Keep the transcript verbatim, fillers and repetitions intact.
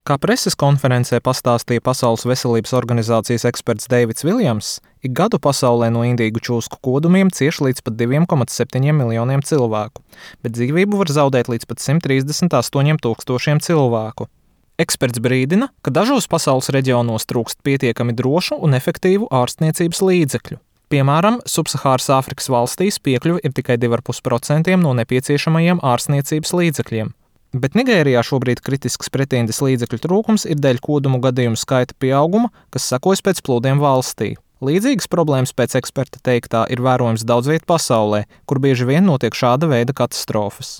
Kā preses konferencē pastāstīja Pasaules veselības organizācijas eksperts Deivids Viljams, ik gadu pasaulē no indīgu čūsku kodumiem cieš līdz pat diviem komats septiņiem miljoniem cilvēku, bet dzīvību var zaudēt līdz pat simt trīsdesmit astoņiem tūkstošiem cilvēku. Eksperts brīdina, ka dažos pasaules reģionos trūkst pietiekami drošu un efektīvu ārstniecības līdzekļu. Piemēram, Subsahāras Āfrikas valstīs piekļuve ir tikai divi komats pieci procenti no nepieciešamajiem ārstniecības līdzekļiem. Bet Nigērijā šobrīd kritisks pretindes līdzekļu trūkums ir dēļ kodumu gadījumu skaita pieauguma, kas sekojas pēc plūdiem valstī. Līdzīgas problēmas pēc eksperta teiktā ir vērojams daudz viet pasaulē, kur bieži vien notiek šāda veida katastrofas.